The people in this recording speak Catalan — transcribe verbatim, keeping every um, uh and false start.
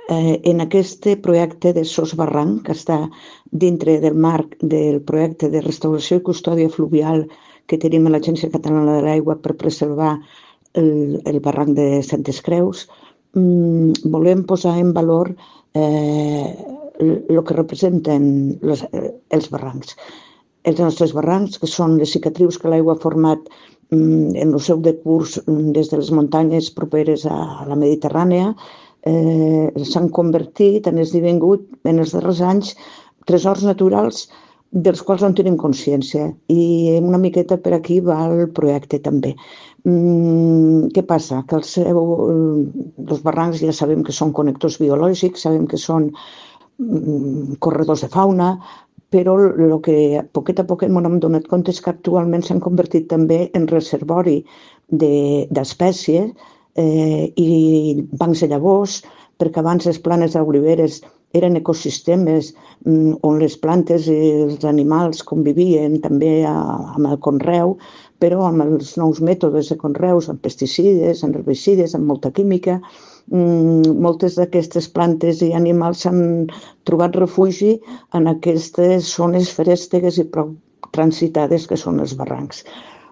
en aquest projecte de Sos Barranc, que està dintre del marc del projecte de restauració i custòdia fluvial que tenim a l'Agència Catalana de l'Aigua per preservar el, el barranc de Santes Creus, volem posar en valor eh, el que representen les, els barrancs. Els nostres barrancs, que són les cicatrius que l'aigua ha format en el seu decurs des de les muntanyes properes a la Mediterrània, eh, s'han convertit, han esdevingut en els darrers anys tresors naturals dels quals no tenim consciència, i una miqueta per aquí va el projecte també. Mm, què passa? Que el seu, els barrancs ja sabem que són connectors biològics, sabem que són mm, corredors de fauna, però el que a poquet a poquet m'hem donat compte és que actualment s'han convertit també en reservori d'espècies eh, i bancs de llavors, perquè abans les planes d'oliveres eren ecosistemes on les plantes i els animals convivien també amb el conreu, però amb els nous mètodes de conreus, amb pesticides, amb herbicides, amb molta química, moltes d'aquestes plantes i animals s'han trobat refugi en aquestes zones feréstegues i prou transitades que són els barrancs.